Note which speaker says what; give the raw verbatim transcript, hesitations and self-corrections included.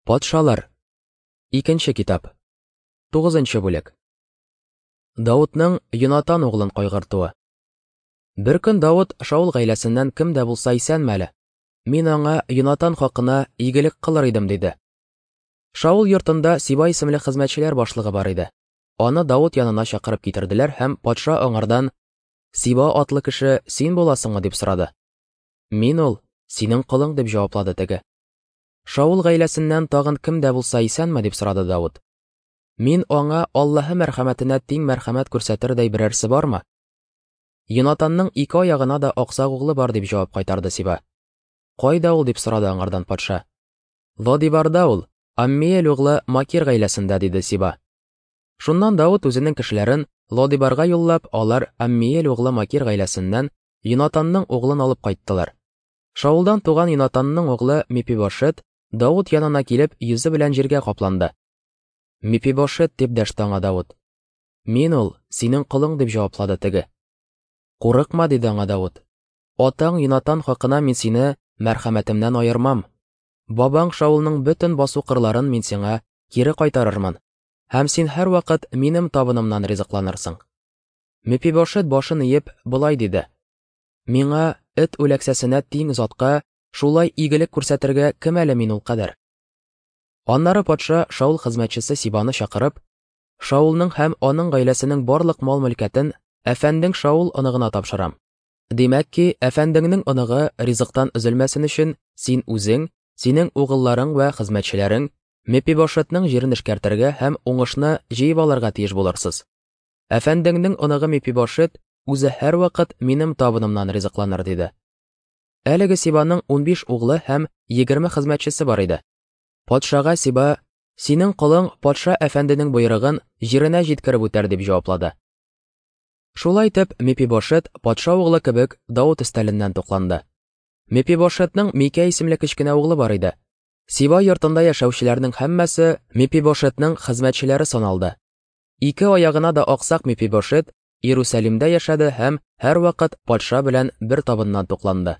Speaker 1: Патшалар. Икенче китап. Тугызынчы бүлек. Давытның Йонатан углын кайгыртуы. Бер көн Давыт Шаул гаиләсеннән кем дә булса исәнме әле? Мин аңа Йонатан хакына игелек кылыр идем, диде. Шаул йортында Сиба исемле хезмәтчеләр башлыгы бар иде. Аны Давыт янына чакырып китерделәр һәм патша аңардан: "Сиба атлы кеше син буласыңмы?" дип сорады. "Мин ул, синең колың", дип җаваплады теге. Шаул гаиләсеннән тагын кем дә булса исәнме? дип сорады Давыт. Мин аңа Аллаһы мәрхәмәтенә тиң мәрхәмәт күрсәтердәй берәрсе бармы? Йонатанның ике аягына да аксак углы бар, дип җавап кайтарды Сиба. Кайда ул? дип сорады аңардан патша. Лодибарда ул, Аммиэль углы Макир гаиләсендә, диде Сиба. Шуннан Давыт үзенең кешеләрен Лодибарга юллап, алар Аммиэль углы Макир гаиләсеннән Йонатанның углын алып кайттылар. Шаулдан туган Йонатанның углы Мепибошет Давыт янына килеп, йөзе белән җиргә капланды. Мепибошет, дип дәште аңа Давыт. Мин ул, синең колың, дип җаваплады теге. Курыкма, диде аңа Давыт. Атаң Йонатан хакына мин сине мәрхәмәтемнән аермам. Бабаң Шаулның бөтен басу кырларын мин сиңа кире кайтарырмын, һәм син һәрвакыт минем табынымнан ризыкланырсың. Мепибошет башын иеп болай диде: Миңа эт үләксәсенә тиң затка шулай игелек күрсәтергә кем әле мин ул кадәр? Аннары патша Шаул хезмәтчесе Сибаны чакырып, Шаулның һәм аның гаиләсенең барлык мал-мөлкәтен әфәндең Шаул оныгына тапшырам. Димәк ки, әфәндеңнең оныгы ризыктан өзелмәсен өчен син үзең, синең угылларың вә хезмәтчеләрең Мепибошетның җирен эшкәртергә һәм уңышны җыеп алырга тиеш булырсыз. Әфәндеңнең оныгы Мепибошет үзе һәрвакыт минем табынымнан ризыкланыр, диде. Әлеге Сибаның унбиш углы һәм егерме хезмәтчесе бар иде. Патшага Сиба: "Синең колың патша әфәнденең боерыгын җиренә җиткереп үтәр", дип җаваплады. Шулай итеп, Мепибошет патша углы кебек Давыт өстәленнән тукланды. Мепибошетның Микә исемле кечкенә углы бар иде. Сиба йортында яшәүчеләрнең һәммәсе Мепибошетның хезмәтчеләре саналды. Ике аягына да аксак Мепибошет Иерусалимдә яшәде һәм һәрвакыт патша белән бер табыннан тукланды.